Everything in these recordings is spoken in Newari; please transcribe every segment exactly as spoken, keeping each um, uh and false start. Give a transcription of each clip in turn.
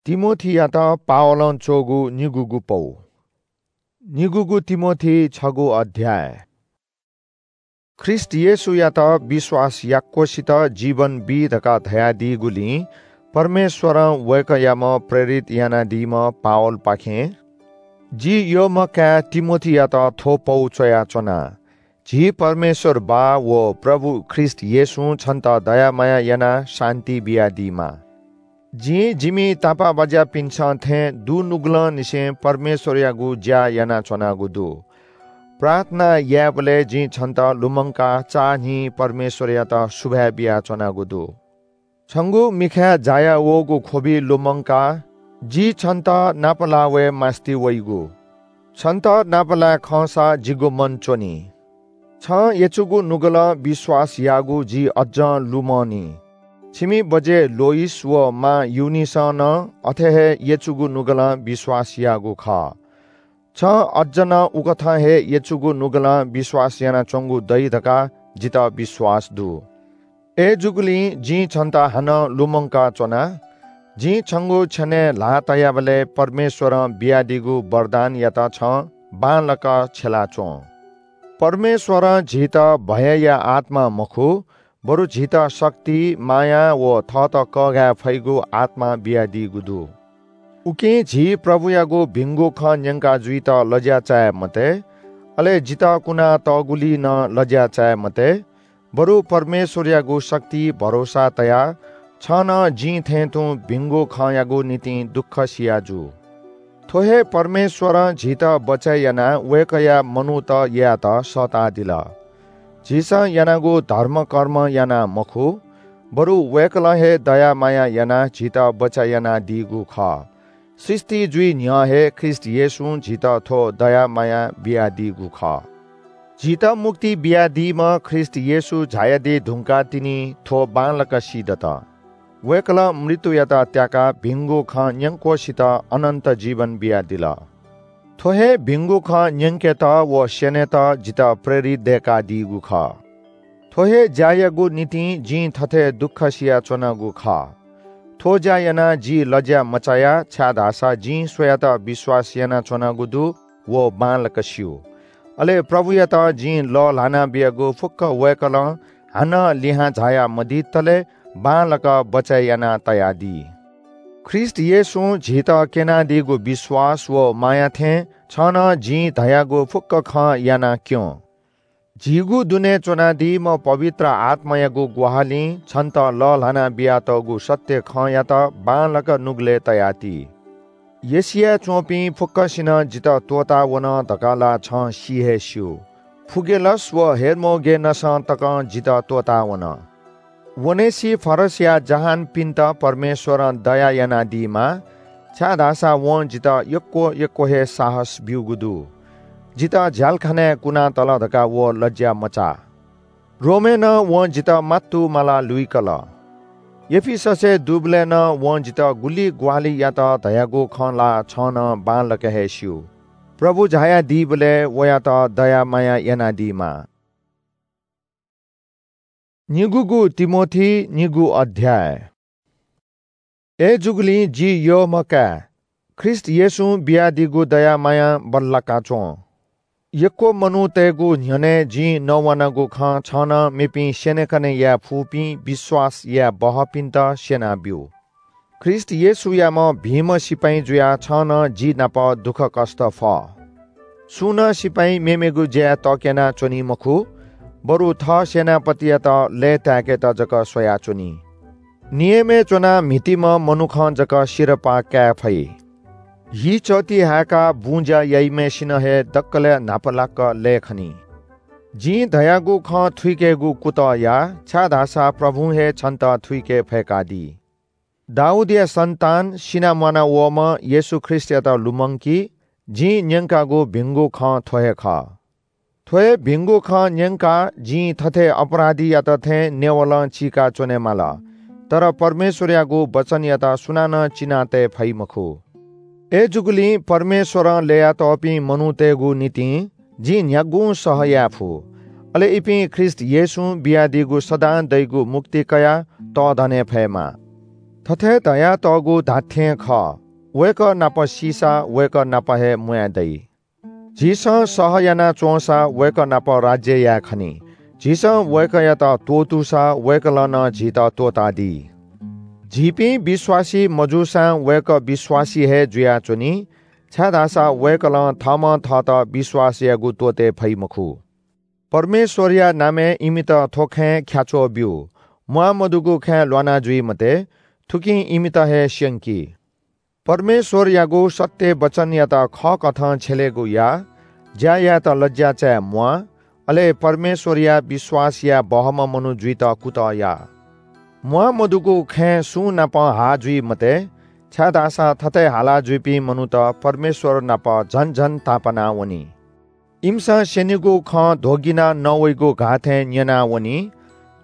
तिमोथीयात पावलं च्वःगु निगूगु पौ। निगूगु तिमोथी छगू अध्याय। ख्रीष्ट येशूयात विश्वास याक्वसित जीवन बी धकाः धयादीगुलिं परमेश्वरं वय्कःयाम्ह प्रेरित यानादीम्ह पावलपाखें जि यःम्ह काय् तिमोथीयात थ्व पौ च्वयाच्वना। झी परमेश्वर बाः व प्रभु ख्रीष्ट येशूं छन्त दया माया यानाः शान्ति बियादीमा। जिं जिमि तापाःबाज्यापिन्सं थें दुनुगलंनिसें परमेश्वरयागु ज्या यानाच्वनागु दु। प्रार्थना यायेबलय् जिं छन्त लुमंकाः चाःहिं परमेश्वरयात सुभाय् बियाच्वनागु दु। छंगु मिखाय् जाया वःगु ख्वबि लुमंकाः जि छन्त नापलाः वये मास्ति वइगु। छन्त नापलाये खंसा जिगु मन च्वनी। छं यचुगु नुगलं विश्वास याःगु जि अज्जं लुमंनि। छिमि बज्ये लोइस व मां युनिसं नं अथे हे यचुगु नुगलं विश्वास याःगु खः। छं अज्ज नं उकथं हे यचुगु नुगलं विश्वास यानाच्वंगु दइ धकाः जितः विश्वास दु। अय्‌जूगुलिं जिं छन्त हानं लुमंकाच्वना। जिं छंगु छ्यनय् ल्हाः तयाबलय् परमेश्वरं बियादीगु वरदानयात छं बांलाक छ्यलाच्वँ। परमेश्वरं झीत भयया आत्मा मखु, बरु झीत शक्ति, माया व थःत कःघाये फइगु आत्मा बियादीगु दु। उकिं झी प्रभुयागु भिंगु खँ न्यंका जुइत लज्या चाये मते, अले जितः कुनातःगुलिइ नं लज्या चाये मते, बरु परमेश्वरयागु शक्ति भरोसा तयाः छं नं जिं थें तुं भिंगु खँयागु निंतिं दुःख सिया जु। थ्व हे परमेश्वरं झीत बचय् यानाः वय्कःया मनूत यायेत सःतादिल। झीसं यानागु धर्मकर्म यानाः मखु, बरु वय्कलं हे दया माया यानाः झीत बचय् यानादीगु खः। सृष्टि जुइ न्ह्यः हे ख्रीष्ट येशूं झीत थ्व दया माया बियादीगु खः। झीत मुक्ति बियादीम्ह ख्रीष्ट येशू झायादी धुंकाः तिनि थ्व बांलाक सीदत। वय्कलं मृत्युयात त्याकाः भिंगु खँ न्यंक्वसित अनन्त जीवन बियादिल। थ्व हे भिंगु खँ न्यंकेत व स्यनेत जितः प्रेरित दय्कादीगु खः। थ्व हे ज्यायागु निंतिं जिं थथे दुःख सियाच्वनागु खः। थ्व ज्या यानाः जि लज्या मचाया, छाय्धाःसा जिं स्वयात विश्वास यानाच्वनागु दु, व बांलाक स्यू। अले प्रभुयात जिं लःल्हाना बियागु फुक्क वय्कलं हानं लिहां झाया मदीतले बांलाक बचय् याना तयादी। ख्रीष्ट येशूं झीत क्यनादीगु विश्वास व माया थें छं नं जिं धयागु फुक्क खँ याना क्यँ। झीगु दुने च्वनादीम्ह पवित्र आत्मायागु ग्वाहालिं छन्त लःल्हाना बियातःगु सत्य खँयात बांलाक नुगलय् तयाति। एशियाय् च्वंपिं फुक्कसिनं जितः त्वःतावन धकाः ला छं सि हे स्यू। फुगेलस व हेर्मोगेनसं तकं जितः त्वःतावन। ओनेसिफरसया जहानपिन्त परमेश्वरं दया यानादीमा, छाय्धाःसा वं जितः यक्व यक्व हे साहस ब्यूगु दु। जितः झ्यालखानाय् कुनातल धकाः व लज्या मचाः। रोमय् नं वं जितः मात्तु माला लुइकल। एफिससय् दुबलय् नं वं जितः गुलि ग्वाहालि यात धयागु खँ ला छं नं बांलाक हे स्यू। प्रभु झायादीबलय् वयात दया माया यानादीमा। निगूगु तिमोथी, निगू अध्याय। अय्‌जूगुलिं जि यःम्ह काय्, ख्रीष्ट येशूं बियादीगु दया मायां बल्लाका च्वँ। यक्व मनूतय्‌गु न्ह्यःने जिं नवानागु खँ छं नं मेपिं स्यनेकने याये फुपिं विश्वास याये बहःपिन्त स्यनाब्यु। ख्रीष्ट येशूयाम्ह भिंम्ह सिपाइँ जुयाः छं नं जि नाप दुःखकष्ट फः। सुं नं सिपाइँ मेमेगु ज्याय् तक्यना च्वनी मखु, बरु थः सेनापतियात लय्ताय्केत जक स्वयाच्वनी। नियमय् च्वनाः म्हितीम्ह मनुखं जक सिरपाः काये फइ। हि चःति हाय्काः बुँज्या याइम्हय्सिनं हे दकलय् न्हापालाक लय् खनी। जिं धयागु खँ थुइकेगु कुतः या, छाय्धाःसा प्रभुं हे छन्त थुइके फय्कादी। दाऊदया सन्तान, सिनाम्वाना वःम्ह येशू ख्रीष्टयात लुमंकि, जिं न्यंकागु भिंगु खँ थ्व हे खः। थ्व हे भिंगु खँ न्यंकाः जिं थथे अपराधीयात थें नेवलं चीका च्वनेमाल, तर परमेश्वरयागु वचनयात सुनानं चिनातये फइ मखु। अय्‌जूगुलिं परमेश्वरं ल्ययातःपिं मनूतय्‌गु निंतिं जिं न्ह्यागुं सह याये फु। अले इपिं ख्रीष्ट येशूं बियादीगु सदां दइगु मुक्ति कयाः तःधने फयेमा। थथे धयातःगु धात्‍थें खः, वय्‌कः नाप सीसा वय्‌कः नाप हे म्‍वाये दइ। झीसं सह याना च्‍वंसा वय्‌कः नाप राज्‍य याये खनी। झीसं वय्‌कःयात त्‍वःतूसा वय्‌कलं नं झीत त्‍वःतादी। झीपिं विश्‍वासी मजूसां वय्‌कः विश्‍वासी हे जुयाच्‍वनी, छाय्‌धाःसा वय्‌कलं थःम्‍हं थःत विश्‍वास यायेगु त्‍वःते फइ मखु। परमेश्‍वरया नामय् इमित थ्‍व खँय् ख्‍याच्‍वः ब्‍यु। म्‍वाःमदुगु खँय् ल्‍वाना जुइ मते, थुकिं इमित हे स्‍यंकी। परमेश्‍वरयागु सत्‍य वचनयात खःकथं छ्यलेगु या। ज्‍या यायेत लज्‍या चाये म्‍वाः, अले परमेश्‍वरया विश्‍वास याये बहःम्‍ह मनू जुइत कुतः या। म्‍वाःमदुगु खँय् सुं नाप हाः जुइ मते, छाय्‌धाःसा थथे हाला जुइपिं मनूत परमेश्‍वर नाप झन झन तापाना वनी। इमिसं स्‍यनीगु खँ ध्‍वगिनाः नवइगु घाः थें न्‍यना वनी।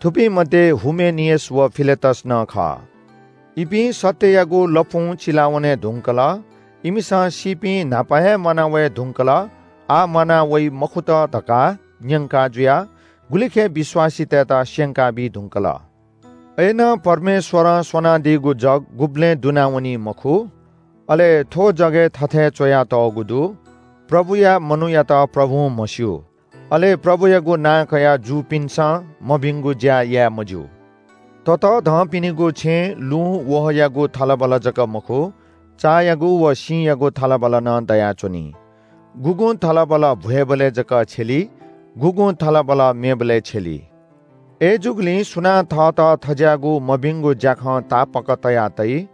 थुपिं मध्ये हुमेनियस व फिलेतस नं खः। इपिं सत्‍ययागु लँपुं चिलावने धुंकल। इमिसं सीपिं न्‍हापा हे म्‍वाना वये धुंकल, आः म्‍वाना वइ मखुत धकाः न्‍यंका जुयाः गुलिखय् विश्‍वासीतय्‌त स्‍यंका बी धुंकल। अय्‌नं परमेश्‍वरं स्‍वनादीगु जग गुबलें दुनावनी मखु। अले थ्‍व जगय् थथे च्‍वयातःगु दु, प्रभुया मनूयात प्रभुं म्हस्‍यू। अले प्रभुयागु नां कयाः जूपिन्‍सं मभिंगु ज्‍या याये मज्‍यू। ततःधंपिनिगु छेँय् लुँ वहःयागु थलबल जक मखु, चायागु व सिँयागु थलबल नं दयाच्‍वनी। गुगुं थलबल भ्‍वय्‌बलय् जक छ्यली, गुगुं थलबल मेबलय् छ्यली। अय्‌जूगुलिं सुनां थःत थज्‍याःगु मभिंगु ज्‍याखं तापाक तया तइ,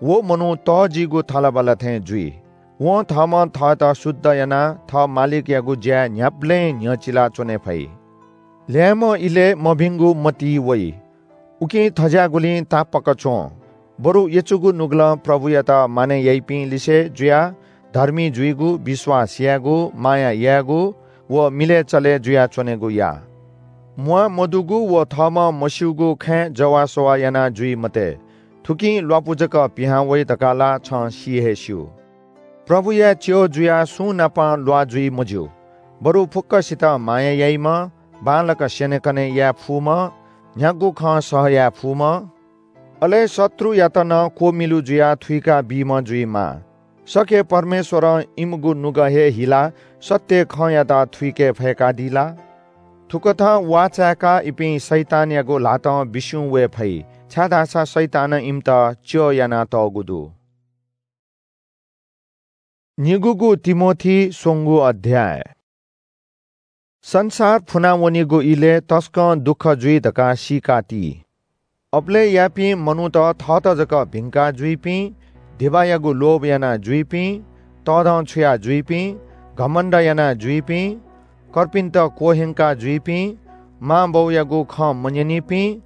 व मनू तःजिगु थलबल थें जुइ। वं थःम्‍हं थःत शुद्ध यानाः थः मालिकयागु ज्‍याय् न्‍ह्याबलें न्‍ह्यचिला च्‍वने फइ। ल्‍याय्‌म्‍ह इलय् मभिंगु मतिइ वइ। उकिं थज्‍याःगुलिं तापाक च्‍वँ। बरु यचुगु नुगलं प्रभुयात मानय् याइपिं लिसे जुयाः धर्मी जुइगु, विश्‍वास यायेगु, माया यायेगु व मिलय् चले जुयाच्‍वनेगु या। म्‍वाः मदुगु व थःम्‍हं मस्‍यूगु खँय् जवाःसवाः याना जुइ मते। थुकिं ल्‍वापु जक पिहां वइ धकाः ला छं सी हे स्‍यू। प्रभुया च्‍यः जुयाः सुं नाप ल्‍वाः जुइ मज्‍यू। बरु फुक्‍कसित माया याइम्‍ह, बांलाक स्‍यनेकने याये फुम्‍ह, न्‍ह्यागु खँ सह याये फुम्‍ह, अले शत्रुयात नं क्‍वमिलु जुयाः थुइका बीम्‍ह जुइमाः। सके परमेश्‍वरं इमिगु नुगः हे हिलाः सत्‍य खँयात थुइके फय्‌कादी ला? थुकथं वाःचाय्‌काः इपिं शैतानयागु ल्‍हातं बिस्युं वये फइ, छाय्‌धाःसा शैतानं इमित च्‍यः यानातःगु दु। निगूगु तिमोथी स्वंगू अध्‍याय। संसार फुनावनीगु इलय् तसकं दुःख जुइ धकाः सीकाति। अबलय् याःपिं मनूत थःत जक भिंका जुइपिं, धिबायागु लोभ याना जुइपिं, तःधंछुया जुइपिं, घमण्‍ड याना जुइपिं, कर्पिन्‍त क्‍वह्यंका जुइपिं, मांबौयागु खँ मन्‍यनीपिं,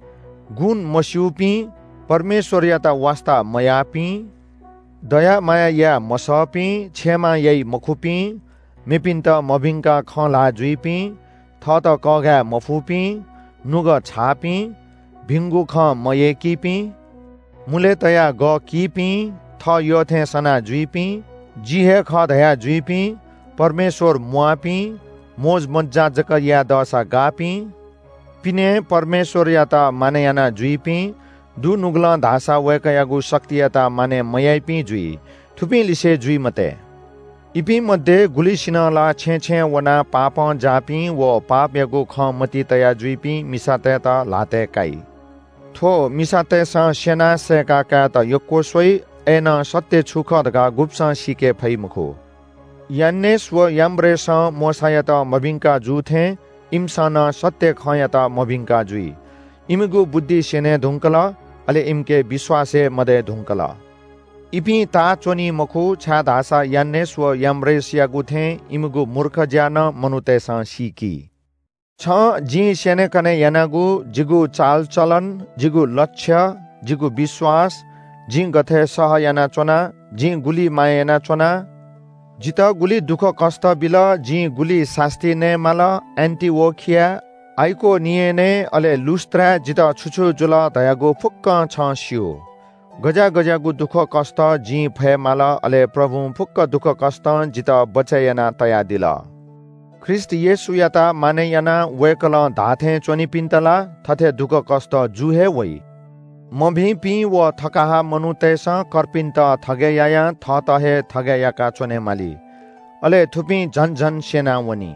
गुण मस्‍यूपिं, परमेश्‍वरयात वास्‍ता मयाःपिं, दया माया याये मसःपिं, क्षमा याइ मखुपिं, मेपिन्‍त मभिंकाः खँ ल्‍हाः जुइपिं, थःत कःघाये मफुपिं, नुगः छाःपिं, भिंगु खँ मयय्‌कीपिं, मुलय् तयाः गः कीपिं, थः यःथें सना जुइपिं, जि हे खः धया जुइपिं, परमेश्‍वर म्‍वाःपिं, मोजमज्‍जा जक याये दःसा गाःपिं, पिने परमेश्‍वरयात मानय् याना जुइपिं, दुनुगलं धाःसा वय्‌कःयागु शक्तियात मानय् मयाइपिं जुइ। थुपिं लिसे जुइ मते। इपिं मध्ये गुलिसिनं ला छेँय् छेँय् वनाः पापं जाःपिं व पापयागु खँ मतिइ तया जुइपिं मिसातय्‌त ल्‍हातय् काइ। थ्‍व मिसातय्‌सं स्‍यनाः सय्‌का कायेत यक्‍व स्वइ, अय्‌नं सत्‍य छु खः धकाः गुब्‍सं सीके फइ मखु। यान्‍नेस व याम्‍ब्रेसं मोशायात मभिंका जू थें इमिसं नं सत्‍य खँयात मभिंका जुइ। इमिगु बुद्धि स्‍यने धुंकल, अले इमिके विश्‍वास हे मदये धुंकल। इपिं ताः च्‍वनी मखु, छाय्‌धाःसा यान्‍नेस व याम्‍ब्रेसयागु थें इमिगु मूर्ख ज्‍या नं मनूतय्‌सं सीकी। छं जिं स्‍यनेकने यानागु, जिगु चालचलन, जिगु लक्ष्य, जिगु विश्‍वास, जिं गथे सह यानाच्‍वना, जिं गुलि माया यानाच्‍वना, जितः गुलि दुःखकष्‍ट बिल, जिं गुलि सास्‍ती नयेमाल, एन्‍टिओखिया, आइकोनियनय्, अले लुस्‍त्राय् जितः छु छु जुल धयागु फुक्‍कं छं स्‍यू। गज्‍याः गज्‍याःगु दुःखकष्‍ट जिं फयेमाल, अले प्रभुं फुक्‍क दुःखकष्‍टं जितः बचय् याना तयादिल। ख्रीष्‍ट येशूयात मानय् यानाः वय्‌कलं धाःथें च्‍वनीपिन्‍त ला थथे दुःखकष्‍ट जू हे वइ। मभिंपिं व थकाहा मनूतय्‌सं कर्पिन्त थगय् यायां थःत हे थगय् याका च्वनेमाली। अले थुपिं झन झन स्यनावनी।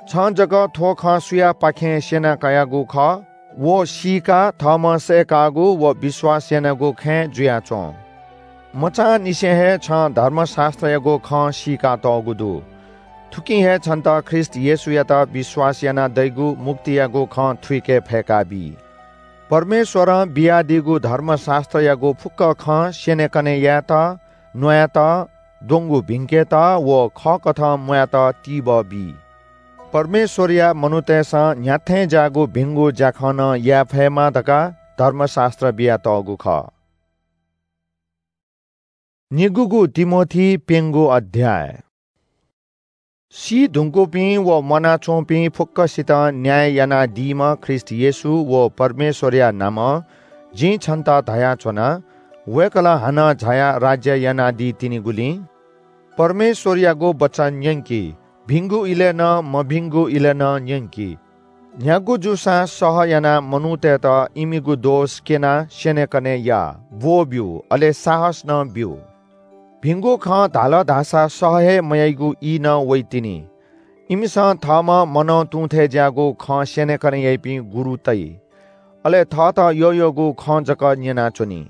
छं जक थ्व खँ सुयापाखें स्यना कयागु खः, व सीकाः थःम्हं सय्‌कागु व विश्वास यानागु खँय् जुयाच्वँ। मचांनिसें हे छं धर्मशास्त्रयागु खँ सीकातःगु दु। थुकिं हे छन्त ख्रीष्ट येशूयात विश्वास यानाः दइगु मुक्तियागु खँ थुइके फय्‌काबी। परमेश्वरं बियादीगु धर्मशास्त्रयागु फुक्क खँ स्यनेकने यायेत, न्वायेत, द्वंगु भिंकेत व खःकथं म्वायेत तिबः बी। परमेश्वरया मनूतय्‌सं न्ह्याथें ज्याःगु भिंगु ज्याखँ नं याये फयेमा धकाः धर्मशास्त्र बियातःगु खः। निगूगु तिमोथी प्यंगू अध्याय। सी धुंकूपिं व म्वानाच्वंपिं फुक्कसितं न्याय यानादीम्ह ख्रीष्ट येशू व परमेश्वरया नामं जिं छन्त धयाच्वना, वय्‌कलं हानं झायाः राज्य यानादी तिनिगुलिं परमेश्वरयागु वचन न्यंकि, भिंगु इलय् नं मभिंगु इलय् नं न्यंकि। न्ह्यागु जूसां सह यानाः मनूतय्‌त इमिगु दोष क्यनाः स्यनेकने या, ब्वःब्यु, अले साहस नं ब्यु। भिंगु खँ धाल धाःसा सह हे मयाइगु ई नं वइतिनि। इमिसं थःम्हं मनं तुं थें ज्याःगु खँ स्यनेकने याइपिं गुरु तइ। अले थःत यःयःगु खँ जक न्यनाच्वनी।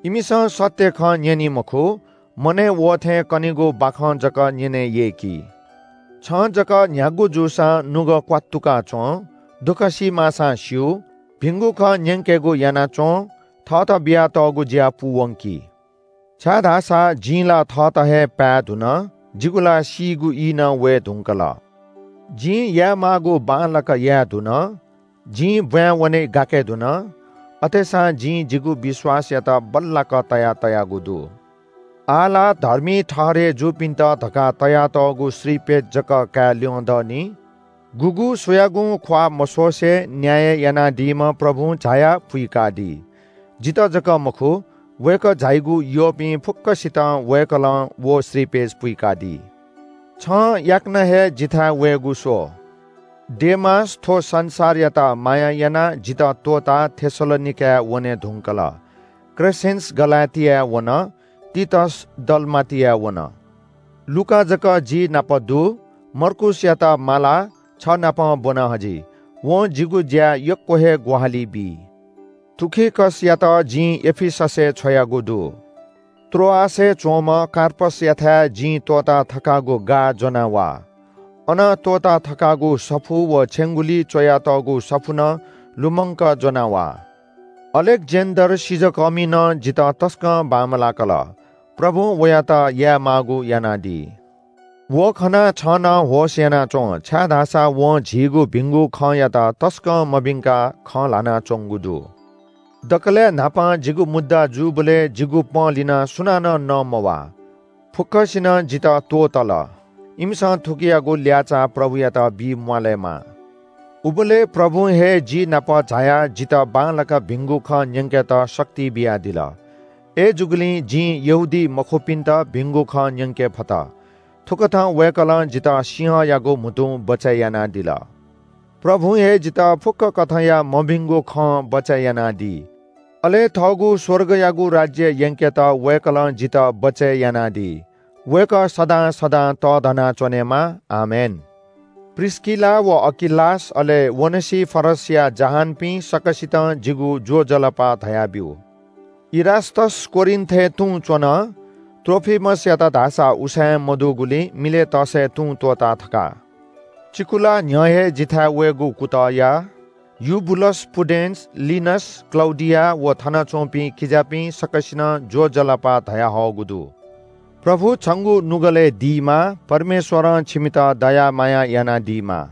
इमिसं सत्य खँ न्यनी मखु, मनय् वःथें कनीगु बाखं जक न्यने यय्‌की। छं जक न्ह्यागु जूसां नुगः क्वात्तुका च्वँ, दुःख सी माःसां स्यु, भिंगु खँ न्यंकेगु यानाच्वँ, थःत बियातःगु ज्या पूवंकि। छाय्‌धाःसा जिं ला थःत हे पाये धुन, जिगु ला सीगु ई नं वये धुंकल। जिं यायेमाःगु बांलाक याये धुन, जिं ब्वाँय् वने गाके धुन, अथेसां जिं जिगु विश्वासयात बल्लाक तया तयागु दु। आः ला धर्मी ठहरय् जूपिन्त धकाः तयातःगु श्रीपेच जक काये ल्यं दनि। गुगु सुयागुं ख्वाः मस्वसे न्याय यानादीम्ह प्रभुं झायाः पुइकादी। जितः जक मखु, वय्‌कः झाइगु यःपिं फुक्कसितं वय्‌कलं व श्रीपेच पुइकादी। छं याकनं हे जिथाय् वयेगु स्व। डेमास थ्व संसारयात माया यानाः जितः त्वःताः थेसलोनिकाय् वने धुंकल। क्रेसेन्स गलातियाय् वन, तीतस दलमातियाय् वन। लूका जक जि नाप दु, मर्कूसयात मालाः छ नाप ब्वना हजि। वं जिगु ज्याय् यक्व हे ग्वाहालि बी। तुखिकसयात जिं एफिससय् छ्वयागु दु। त्रोआसय् च्वंम्ह कार्पसयाथाय् जिं त्वःता थकागु गाः ज्वना वा। अन त्वःता थकागु सफू व छेंगुलिइ च्वयातःगु सफू नं लुमंक ज्वना वा। अलेक्जेन्डर सिजःकःमिं नं जितः तसकं बांमलाकल। प्रभुं वयात यायेमाःगु यानादी। व खनाः छं नं होश यानाच्वँ, छाय्‌धाःसा वं झीगु भिंगु खँयात तसकं मभिंकाः खँ ल्हानाच्वंगु दु। दकलय् न्हापां जिगु मुद्दा जूबलय् जिगु पंलिनाः सुनानं नमवाः। फुक्कसिनं जितः त्वःतल। इमिसं थुकियागु ल्याःचाः प्रभुयात बी म्वालेमा। उबलय् प्रभुं हे जि नाप झायाः जितः बांलाक भिंगु खँ न्यंकेत शक्ति बियादिल। अय्‌जूगुलिं जिं यहूदी मखुपिन्त भिंगु खँ न्यंके फत। थुकथं वय्‌कलं जितः सिंहयागु म्हुतुं बचय् यानादिल। प्रभुं हे जितः फुक्क कथंया मभिंगु खँ बचय् यानादी। अले थःगु स्वर्गयागु राज्य यंकेत वय्‌कलं जितः बचय् यानादी। वय्‌कः सदां सदां तःधना च्वनेमा। आमेन। प्रिस्किला व अकिलास, अले ओनेसिफरसया जहानपिं सकसितं जिगु ज्वजलपा धयाब्यु। इरास्‍तस कोरिन्‍थय् तुं च्‍वन। त्रोफिमसयात धाःसा उसाँय् मदुगुलिं मिलेतसय् तुं त्‍वःता थका। चिकुला न्‍ह्यः हे जिथाय् वयेगु कुतः या। युबुलस, पुडेन्‍स, लिनस, क्‍लौडिया व थन च्‍वंपिं किजापिं सकसिनं ज्‍वजलपा धयाहःगु दु। प्रभु छंगु नुगलय् दीमा। परमेश्‍वरं छिमित दया माया यानादीमा।